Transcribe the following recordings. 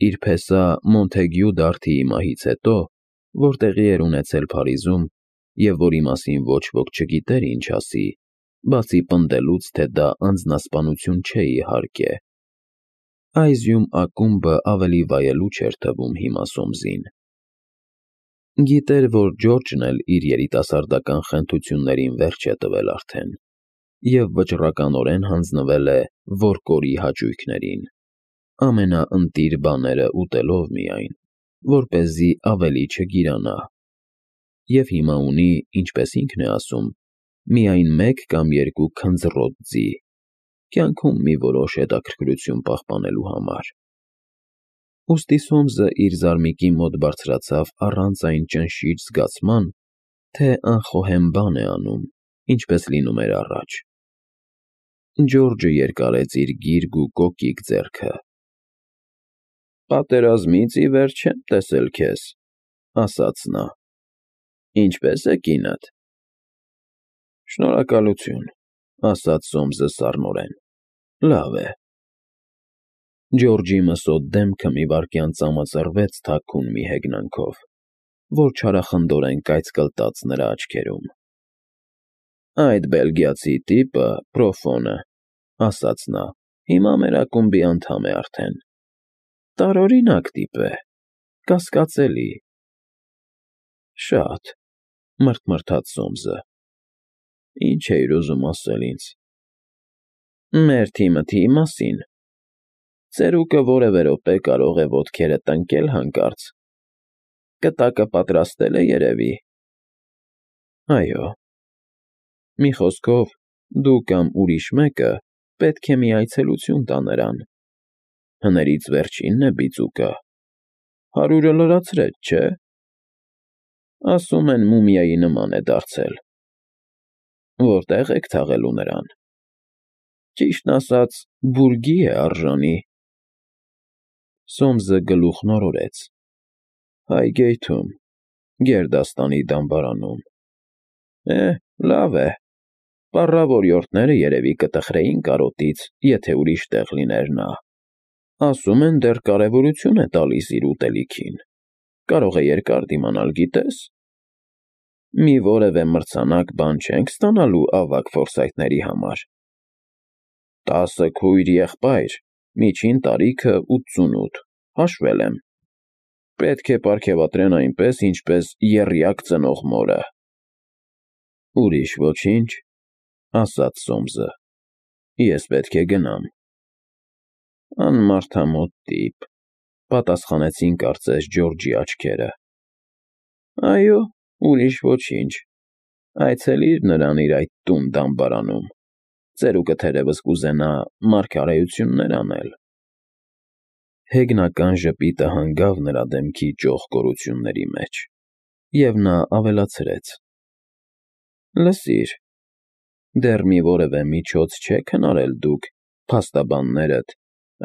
իր փեսա Մոնթեգյու դարդիի մահից հետո, որ տեղի էր ունեցել Փարիզում, և որի մասին ոչ ոք չգիտեր ինչ ասի, բացի պնդելուց, թե դա անձնասպանություն չէ իհարկե, Այզյում ակումբը ավելի վայելուչ էր թվում հիմա Սոմսին։ Գիտեր, որ Ջորջն էլ իր երիտասարդական խենթություններին վերջ է տվել արդեն, և վճռականորեն հանձնվել է Որկորի հաճույքներին, ամենաընտիր բաները ուտելով միայն, որպեսզի ավելի չգիրանա, և հիմա ունի, ինչպես ինքն է ասում, միայն 1 կամ 2 քնձռոտ ձի, կյանքում մի որոշ հետաքրքրություն պահպանելու համար։ Ուստի Սոմսը իր զարմիկի մոտ բարձրացավ առանց այն ճնշիչ զգացման, թե անխոհեմ բան է անում, ինչպես լինում էր առաջ։ Ջորջը երկարեց իր գիրգ ու կոկիկ ձեռքը։ «Պատերազմից ի վեր չեմ տեսել քեզ», ասաց նա։ «Ինչպե՞ս է կինդ»։ «Շնորհակալություն», ասաց Սոմսը սառնորեն։ «Լավ է»։ Ջորջի մսոտ դեմքը մի վայրկյան ծամծռվեց թաքուն մի հեգնանքով, որ չարախնդորեն կայծկլտաց նրա աչքերում։ «Այդ բելգիացի տիպը, Պրոֆոնը, ասաց նա, հիմա մեր ակումբի անդամ է արդեն։ Տարօրինակ տիպ է, կասկածելի»։ «Շատ», մռթմռթաց Սոմսը։ «Ինչ էիր ուզում ասել ինձ»։ «Մեր թիմի մասին։ Ծերուկը որևէ րոպե կարող է ոտքերդ տնկել հանկարծ։ Կտակը պատրաստել է, երևի»։ «Այո»։ «Մի խոսքով, դու կամ ուրիշ մեկը պետք է մի այցելություն տա նրան։ Հներից վերջինն է բիծուկը։ 100-ը լրացրեց, չէ՞։ Ասում են մումիայի նման է դարձել։ Որտե՞ղ եք թաղելու նրան։ Ճիշտն ասած, բուրգի է արժանի»։ Սոմսը գլուխն օրորեց։ «Հայգեյթում, գերդաստանի դամբարանում»։ Լավ է։ Պառավորյորդները երևի կտխրեին կարոտից, եթե ուրիշ տեղ լիներ նա։ Ասում են դեռ կարևորություն է տալիս իր ուտելիքին։ Կարող է երկար դիմանալ, գիտես։ Մի որևէ մրցանակ բան չենք ստանալու ավագ ֆորսայթների համար։ 10 քույր-եղբայր, միջին տարիքը 88, հաշվել եմ։ Պետք է պարգևատրեն այնպես, ինչպես եռյակ ծնող մորը։ Ուրիշ ոչինչ, ասաց Սոմսը։ Ես պետք է գնամ։ Անմարդամոտ տիպ, պատասխանեցին կարծես Ջորջի աչքերը։ Այո, ուրիշ ոչինչ։ Այցելիր նրան իր այդ տուն-դամբարանում։ Ծերուկը թերևս կուզենա մարգարեություններ անել։ Հեգնական ժպիտը հանգավ նրա դեմքի ճոխ կորությունների մեջ, և նա ավելացրեց. Լսիր, դեռ մի որևէ միջոց չեք հնարել դուք, փաստաբաններդ,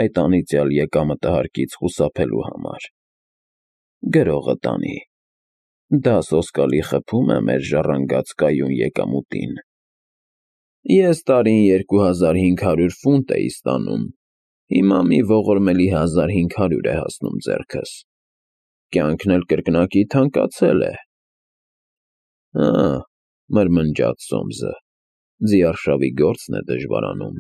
այդ անիծյալ եկամտահարկից խուսափելու համար։ Գրողը տանի։ Դա սոսկալի խփում է մեր ժառանգած կայուն եկամուտին։ Ես տարին 2500 ֆունտ էի ստանում, հիմա մի ողորմելի 1500 է հասնում ձեռքս։ Կյանքն էլ կրկնակի թանկացել է։ Հա, մրմնջաց Սոմսը, ձիարշավի գործն է դժվարանում։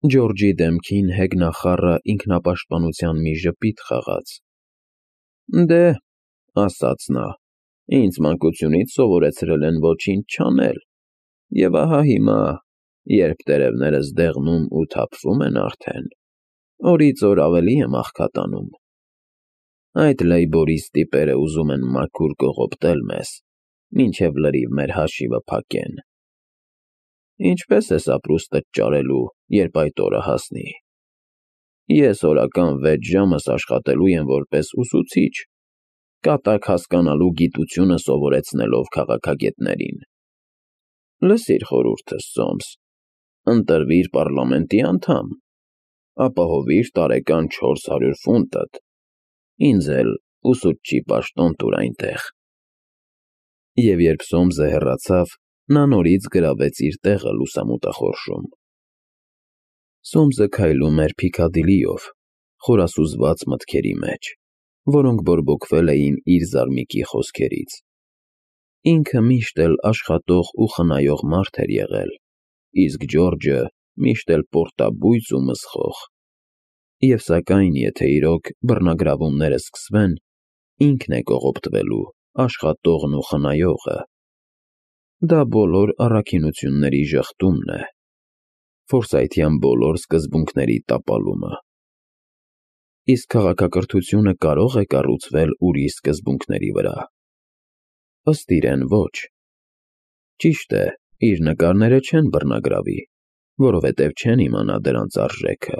Ջորջի դեմքին հեգնախառը ինքնապաշտպանության մի ժպիտ խաղաց։ Դե, ասաց նա, ինձ մանկությունից սովորեցրել են ոչինչ չանել, և ահա հիմա, երբ տերևներս դեղնում ու թափվում են արդեն, օրից օր ավելի եմ աղքատանում։ Այդ լեյբորիստ տիպերը ուզում են մաքուր կողոպտել մեզ, մինչև լրիվ մեր հաշիվը փակեն։ Ինչպե՞ս ես ապրուստդ ճարելու, երբ այդ օրը հասնի։ Ես օրական 6 ժամս աշխատելու եմ որպես ուսուցիչ, կատակ հասկանալու գիտությունը սովորեցնելով քաղաքագետներին։ Լսիր խորհուրդս, Սոմս, ընտրվիր պառլամենտի անդամ, ապահովիր տարեկան 400 ֆունտդ, ինձ էլ ուսուցչի պաշտոն տուր այնտեղ։ Եվ երբ Սոմսը հեռացավ, նա նորից գրավեց իր տեղը լուսամուտախորշում։ Սոմսը քայլում էր Փիքադիլիով, խորասուզված մտքերի մեջ, որոնք բորբոքվել էին իր զարմիկի խոսքերից։ Ինքը միշտ էլ աշխատող ու խնայող մարդ էր եղել, իսկ Ջորջը միշտ էլ պորտաբույծ ու մսխող։ Եվ սակայն, եթե իրոք բռնագրավումները սկսվեն, ինքն է կողոպտվելու, աշխատողն ու խնայողը։ Դա բոլոր առաքինությունների ժխտումն է, Ֆորսայթյան բոլոր սկզբունքների տապալումը։ Իսկ քաղաքակրթությունը կարո՞ղ է կառուցվել ուրիշ սկզբունքների վրա։ Ըստ իրեն ոչ։ Ճիշտ է, իր նկարները չեն բռնագրավի, որովհետև չեն իմանա դրանց արժեքը։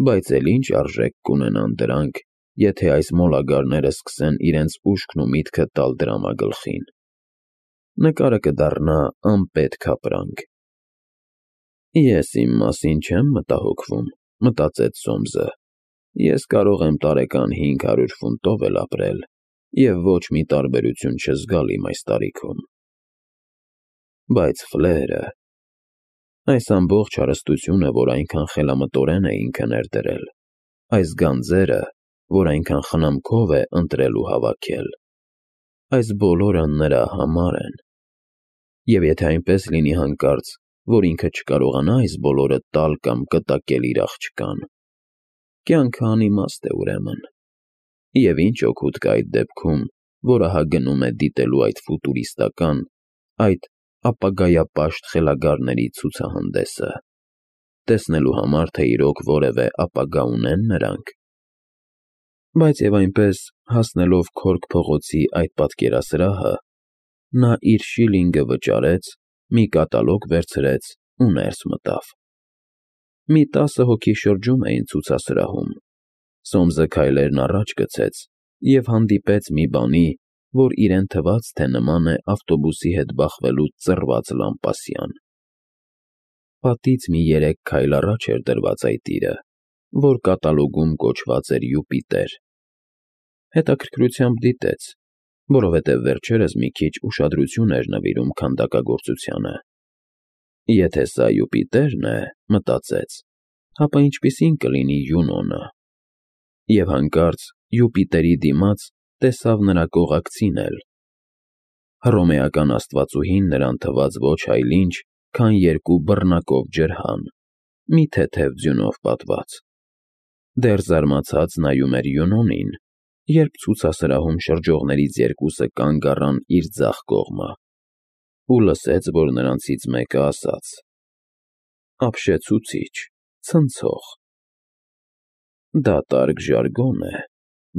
Բայց էլ ինչ արժեք կունենան դրանք, եթե այս մոլագարները սկսեն իրենց ուշքն ու միտքը տալ դրամագլխին։ Նկարը կդառնա անպետք ապրանք։ Ես իմ մասին չեմ մտահոգվում, մտածեց Սոմսը։ Ես կարող եմ տարեկան 500 ֆունտով էլ ապրել և ոչ մի տարբերություն չզգալ իմ այս տարիքում։ Բայց Ֆլերը… Այս ամբողջ հարստությունը, որ այնքան խելամտորեն է ինքը ներդրել, այս գանձերը, որ այնքան խնամքով է ընտրել ու հավաքել, այս բոլորը նրա համար են։ Եվ եթե այնպես լինի հանկարծ, որ ինքը չկարողանա այս բոլորը տալ կամ կտակել իր աղջկան, կյանքը անիմաստ է ուրեմն։ Եվ ինչ օգուտ կա այդ դեպքում, որ ահա գնում է դիտելու այդ ֆուտուրիստական, այդ ապագայապաշտ խելագարների ցուցահանդեսը, տեսնելու համար, թե իրոք որևէ ապագա ունեն նրանք։ Բայց և այնպես, հասնելով Քորք փողոցի այդ պատկերասրահը, նա իր շիլինգը վճարեց, մի կատալոգ վերցրեց ու ներս մտավ։ Մի 10 հոգի շրջում էին ցուցասրահում։ Սոմսը քայլերն առաջ գցեց և հանդիպեց մի բանի, որ իրեն թվաց, թե նման է ավտոբուսի հետ բախվելուց ծռված Լամպասյան։ Պատից մի 3 քայլ առաջ էր դրված այդ իրը, որ կատալոգում կոչված էր Յուպիտեր։ Հետաքրքրությամբ դիտեց, որովհետև վերջերս մի քիչ ուշադրություն էր նվիրում քանդակագործությանը։ Եթե սա Յուպիտերն է, մտածեց, ապա ինչպիսին կլինի Յունոնը։ Եվ հանկարծ Յուպիտերի դիմաց տեսավ նրա կողակցին էլ։ Հռոմեական աստվածուհին նրան թվաց ոչ այլ ինչ, քան 2 բռնակով ջրհան, մի թեթև ձյունով պատված։ Դեռ զարմացած նայում էր Յունոնին, երբ ցուցասրահում շրջողներից 2-ը կանգ առան իր ձախ կողմը, ու լսեց, որ նրանցից մեկը ասաց. «Ապշեցուցիչ, ցնցող»։ Դատարկ ժարգոն է,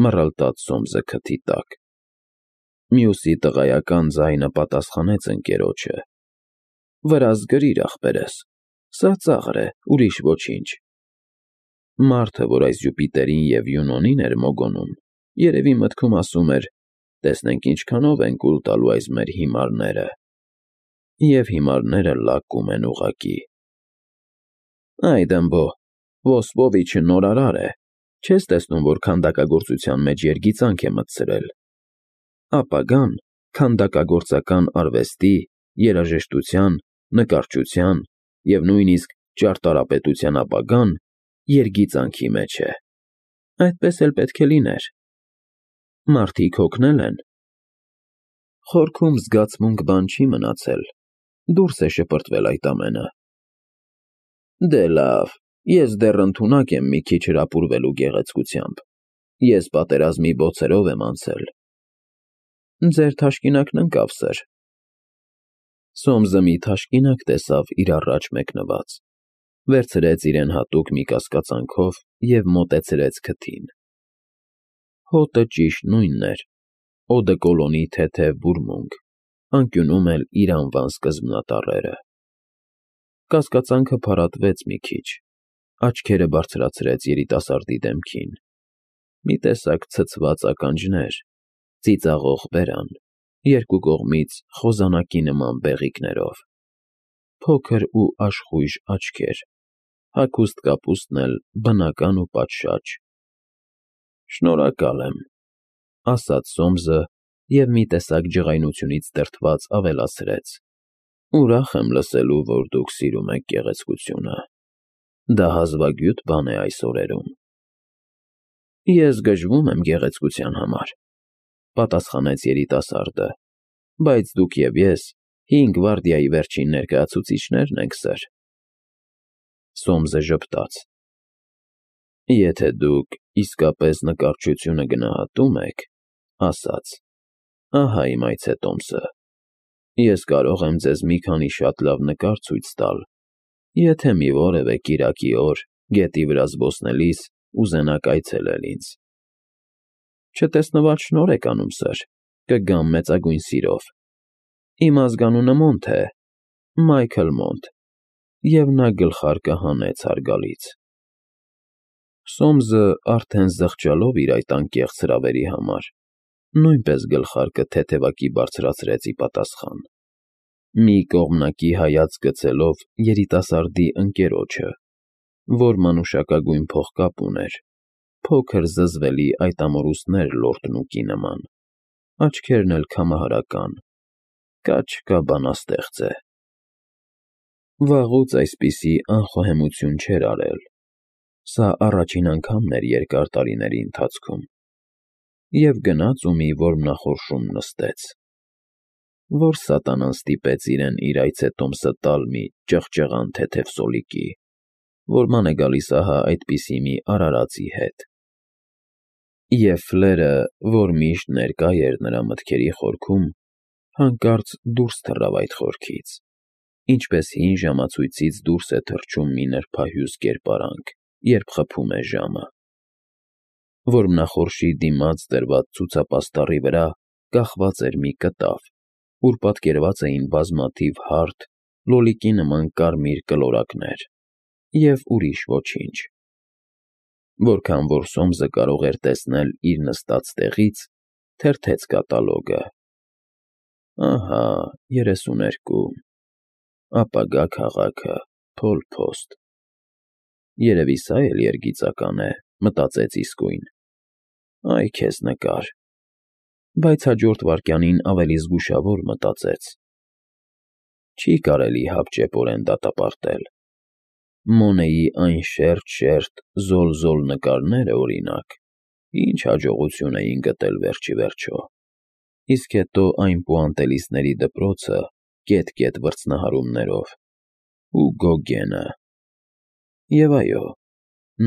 մռլտաց Սոմսը քթի տակ։ Մյուսի տղայական ձայնը պատասխանեց ընկերոջը. «Վրաս գրիր, ախպերս, սա ծաղր է, ուրիշ ոչինչ»։ Մարդը, որ այս Յուպիտերին և Յունոնին էր մոգոնում, երևի մտքում ասում էր. տեսնենք ինչքանով են կուլ տալու այս մեր հիմարները։ Եվ հիմարները լակում են ուղղակի։ Այ դմբո, Ոսպովիչը նորարար է, չես տեսնում, որ քանդակագործության մեջ երգիծանք է մտցրել։ Ապագան քանդակագործական արվեստի, երաժշտության, նկարչության և նույնիսկ ճարտարապետության ապագան երգիծանքի մեջ է։ Այդպես էլ պետք է լիներ։ Մարդիկ հոգնել են։ Խորքում զգացմունք բան չի մնացել, դուրս է շպրտվել այդ ամենը։ Դե լավ, ես դեռ ընդունակ եմ մի քիչ հրապուրվելու գեղեցկությամբ։ Ես պատերազմի բոցերով եմ անցել։ Ձեր թաշկինակն ընկավ, սըր։ Սոմսը մի թաշկինակ տեսավ իր առաջ մեկնված, վերցրեց իրեն հատուկ մի կասկածանքով և մոտեցրեց քթին։ Հոտը ճիշտ նույնն էր, օդեկոլոնի թեթև բուրմունք, անկյունում էլ իր անվան սկզբնատառերը։ Կասկածանքը փարատվեց մի քիչ, աչքերը բարձրացրեց երիտասարդի դեմքին։ Մի տեսակ ցցված ականջներ, ծիծաղող բերան, երկու կողմից խոզանակի նման բեղիկներով, փոքր ու աշխույժ աչքեր, հագուստ կապուստն էլ բնական ու պատշաճ։ Շնորհակալ եմ, ասաց Սոմսը և մի տեսակ ջղայնությունից դրդված ավելացրեց. Ուրախ եմ լսելու, որ դուք սիրում եք գեղեցկությունը։ Դա հազվագյուտ բան է այս օրերում։ Ես գժվում եմ գեղեցկության համար, պատասխանեց երիտասարդը, բայց դուք և ես 5 գվարդիայի վերջին ներկայացուցիչներն ենք, սըր։ Սոմսը ժպտաց. Եթե դուք իսկապես նկարչությունը գնահատում եք, ասաց, ահա իմ այցետոմսը։ Ես կարող եմ ձեզ մի քանի շատ լավ նկար ցույց տալ, եթե մի որևէ կիրակի օր գետի վրա զբոսնելիս ուզենաք այցելել ինձ։ Չտեսնված շնորհ եք անում, սըր, կգամ մեծագույն սիրով։ Իմ ազգանունը Մոնտ է, Մայքլ Մոնտ, և նա գլխարկը հանեց հարգալից։ Սոմսը արդեն զղջալով իր այդ անկեղծ հրավերի համար, նույնպես գլխարկը թեթևակի բարձրացրեց ի պատասխան։ Մի կողմնակի հայացք գցելով երիտասարդի ընկերոջը, որ մանուշակագույն փողկապ ուներ, փոքր զզվելի այդ ամորուստներ լորտնուկի նման, աչքերն էլ քամահարական, կա բանաստեղծ է։ Վաղուց այսպիսի անխոհեմություն չէր արել, սա առաջին անգամն էր երկար տարիների ընթացքում, և գնաց ու մի որմնախորշում նստեց։ Որ սատանան ստիպեց իրեն իր այցետոմսը տալ մի ճղճղան թեթև սոլիկի, որ ման է գալիս ահա այդպիսի մի արարածի հետ։ Եվ ֆլերը, որ միշտ ներկա էր նրա մտքերի խորքում, հանկարծ դուրս թռավ այդ խորքից, ինչպես հին ժամացույցից դուրս է թռչում մի նրբահյուս կերպարանք, երբ խփում է ժամը։ Որմնախորշի դիմաց դրված ցուցապաստառի վրա կախված էր մի կտավ, ուր պատկերված էին բազմաթիվ հարթ, լոլիկի նման կարմիր կլորակներ և ուրիշ ոչինչ։ Որքան որ Սոմսը կարող էր տեսնել իր նստած տեղից, թերթեց կատալոգը։ Ահա 32, ապագա քաղաքը, Փոլ Փոստ։ Երևի սա էլ երգիծական է, մտածեց իսկույն։ Այ քեզ նկար։ Բայց հաջորդ վայրկյանին ավելի զգուշավոր մտածեց. Չի կարելի հապճեպորեն դատապարտել։ Մոնեի այն շերտ, զոլ նկարները, օրինակ, ինչ հաջողություն էին գտել վերջիվերջո, իսկ հետո այն պուանտելիստների դպրոցը կետ վրձնահարումներով, ու Գոգենը։ Եվ այո,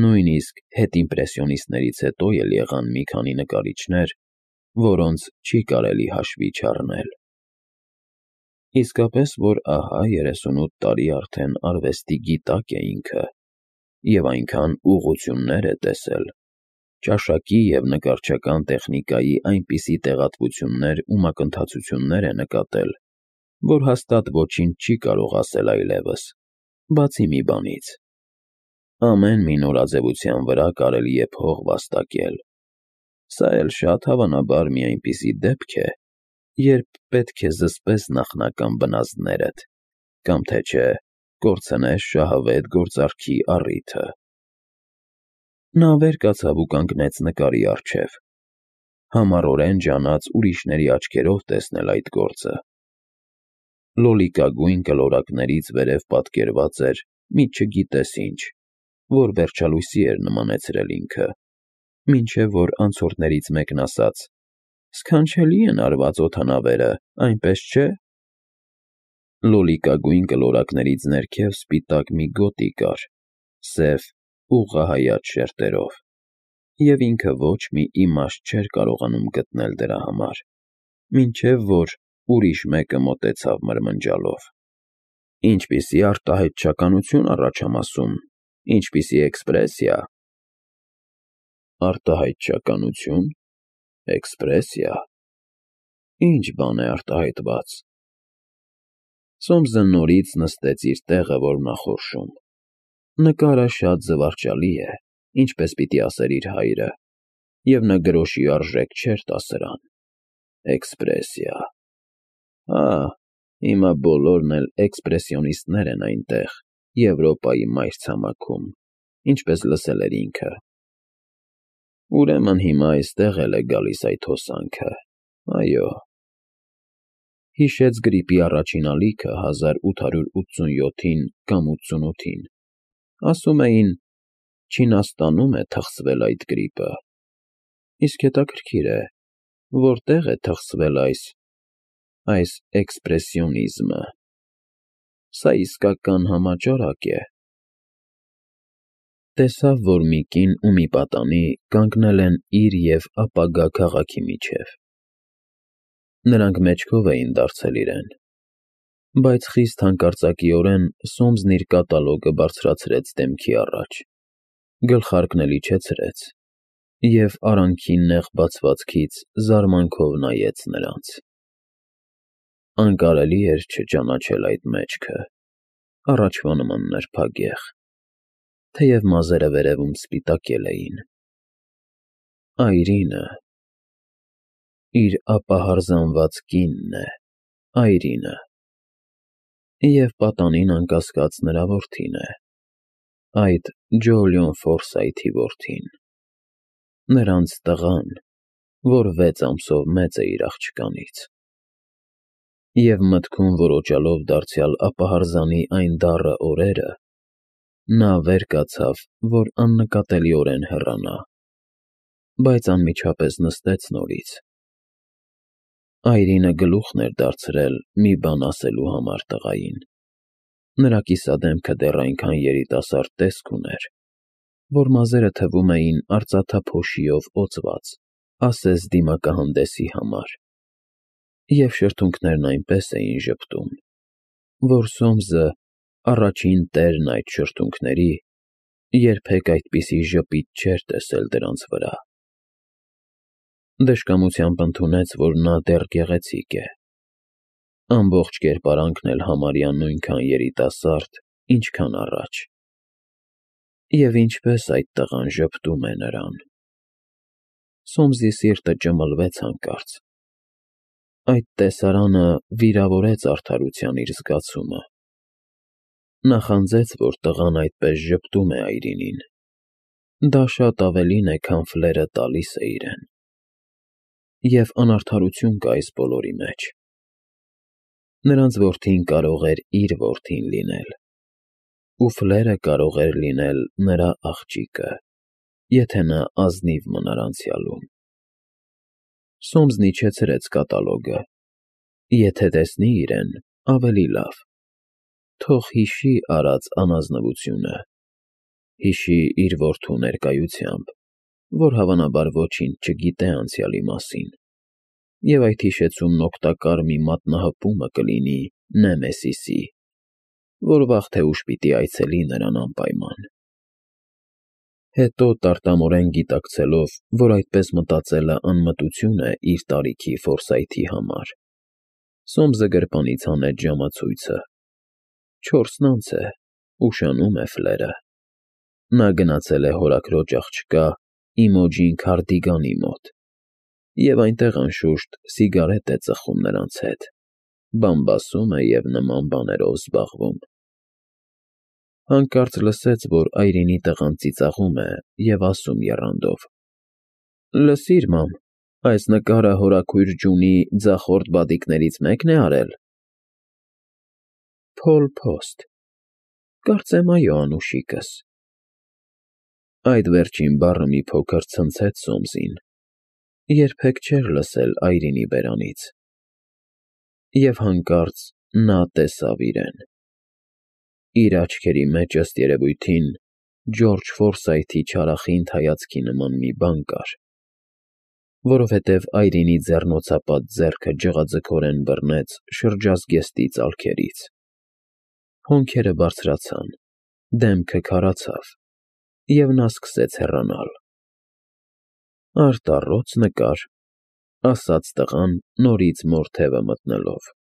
նույնիսկ հետիմպրեսիոնիստներից հետո էլ եղան մի քանի նկարիչներ, որոնց չի կարելի հաշվի չառնել։ Իսկապես, որ ահա 38 տարի արդեն արվեստի գիտակ է ինքը, և այնքան ուղղություններ է տեսել, ճաշակի և նկարչական տեխնիկայի այնպիսի տեղատվություններ ու մակընթացություններ է նկատել, որ հաստատ ոչինչ չի կարող ասել այլևս, բացի մի բանից. ամեն մի նորաձևության վրա կարելի է փող վաստակել։ Սա էլ շատ հավանաբար մի այնպիսի դեպք է, երբ պետք է զսպես նախնական բնազդներդ, կամ թե չէ կորցնես շահավետ գործարքի առիթը։ Նա վեր կացավ ու կանգնեց նկարի առջև, համառորեն ջանաց ուրիշների աչքերով տեսնել այդ գործը։ Լոլիկագույն կլորակներից վերև պատկերված էր մի չգիտես ինչ, որ վերջալույսի էր նմանեցրել ինքը, մինչև որ անցորդներից մեկն ասաց. «Սքանչելի են արված օդանավերը, այնպես չէ»։ Լոլիկագույն կլորակներից ներքև սպիտակ մի գոտի կար, սև, ուղղահայաց շերտերով, և ինքը ոչ մի իմաստ չէր կարողանում գտնել դրա համար, մինչև որ ուրիշ մեկը մոտեցավ մրմնջալով. «Ինչպիսի արտահայտչականություն առաջամասում, ինչպիսի էքսպրեսիա»։ Արտահայտչականություն, էքսպրեսիա։ Ինչ բան է արտահայտված։ Սոմսը նորից նստեց իր տեղը որմնախորշում։ Նկարը շատ զվարճալի է, ինչպես պիտի ասեր իր հայրը, և նա գրոշի արժեք չէր տա սրան։ Էքսպրեսիա։ Հիմա բոլորն էլ էքսպրեսիոնիստներ են այնտեղ, Եվրոպայի մայրցամաքում, ինչպես լսել էր ինքը։ Ուրեմն հիմա այստեղ էլ է գալիս այդ հոսանքը, այո։ Հիշեց գրիպի առաջին ալիքը 1887 կամ 88-ին։ Ասում էին, Չինաստանում է թխսվել այդ գրիպը, Իսկ հետաքրքիր է, որտեղ է թխսվել այս էքսպրեսիոնիզմը։ Սա իսկական համաճարակ է։ Տեսավ, որ մի կին ու մի պատանի կանգնել են իր և ապագա քաղաքի միջև։ Նրանք մեջքով էին դարձել իրեն, բայց խիստ հանկարծակիորեն Սոմսն իր կատալոգը բարձրացրեց դեմքի առաջ, գլխարկն էլ իջեցրեց և արանքի նեղ բացվածքից զարմանքով նայեց նրանց։ Անկարելի էր չճանաչել այդ մեջքը, առաջվա նման նրբագեղ, թեև մազերը վերևում սպիտակել էին։ Այրինը… իր ապահարզանված կինն է, այրինը… և պատանին, անկասկած, նրա որդին է, այդ Ջոլիոն Ֆորսայթի որդին, նրանց տղան, որ 6 ամսով մեծ է իր աղջկանից։ Եվ մտքում ոռոճալով դարձյալ ապահարզանի այն դառը օրերը, նա վեր կացավ, որ աննկատելիորեն հեռանա, բայց անմիջապես նստեց նորից։ Այրինը գլուխն էր դարձրել մի բան ասելու համար տղային։ Նրա կիսադեմքը դեռ այնքան երիտասարդ տեսք ուներ, որ մազերը թվում էին արծաթափոշիով օծված, ասես դիմակահանդեսի համար, և շրթունքներն այնպես էին ժպտում, որ Սոմսը, առաջին տերն այդ շրթունքների, երբեք այդպիսի ժպիտ չէր տեսել դրանց վրա։ Դժկամությամբ ընդունեց, որ նա դեռ գեղեցիկ է, ամբողջ կերպարանքն էլ համարյա նույնքան երիտասարդ, ինչքան առաջ։ Եվ ինչպես այդ տղան ժպտում է նրան… Սոմսի սիրտը ճմլվեց հանկարծ։ Այդ տեսարանը վիրավորեց արդարության իր զգացումը։ Նա խանձեց, որ տղան այդպես ժպտում է այրինին։ Դա շատ ավելին է, քան ֆլերը տալիս է իրեն։ Եվ անարդարություն կա այս բոլորի մեջ։ Նրանց որդին կարող էր իր որդին լինել, ու ֆլերը կարող էր լինել նրա աղջիկը, եթե նա ազնիվ մնար անցյալում։ Սոմսն իջեցրեց կատալոգը. եթե տեսնի իրեն, ավելի լավ, թող հիշի արած անազնվությունը, հիշի իր որդու ներկայությամբ, որ հավանաբար ոչինչ չգիտե անցյալի մասին, և այդ հիշեցումն օգտակար մի մատնահպումը կլինի Նեմեսիսի, որ վաղ թե ուշ պիտի այցելի նրան անպայման։ Հետո, տարտամորեն գիտակցելով, որ այդպես մտածելը անմտություն է իր տարիքի Ֆորսայթի համար, Սոմսը գրպանից հանեց ժամացույցը. 4-ն անց է, ուշանում է ֆլերը։ Նա գնացել է հորաքրոջ աղջկա Իմոջին Քարդիգանի մոտ և այնտեղ, անշուշտ, սիգարետ է ծխում նրանց հետ, բամբասում է և նման բաներով զբաղվում։ Հանկարծ լսեց, որ այրինի տղան ծիծաղում է և ասում եռանդով. «Լսիր, մամ, այս նկարը հորաքույր Ջունի ձախորդ բադիկներից մեկն է արել»։ Փոլ Փոստ, կարծեմ այո, անուշիկս։ Այդ վերջին բառը մի փոքր ցնցեց Սոմսին, երբեք չէր լսել այրինի բերանից։ Եվ հանկարծ նա տեսավ իրեն։ Իր աչքերի մեջ, ըստ երևույթին, Ջորջ Ֆորսայթի չարախինդ հայացքի նման մի բան կար, որովհետև այրինի ձեռնոցապատ ձեռքը ջղաձգորեն բռնեց շրջազգեստի ծալքերից։ Հոնքերը բարձրացան, դեմքը քարացավ, և նա սկսեց հեռանալ։ «Արտառոց նկար», ասաց տղան, նորից մոր թևը մտնելով։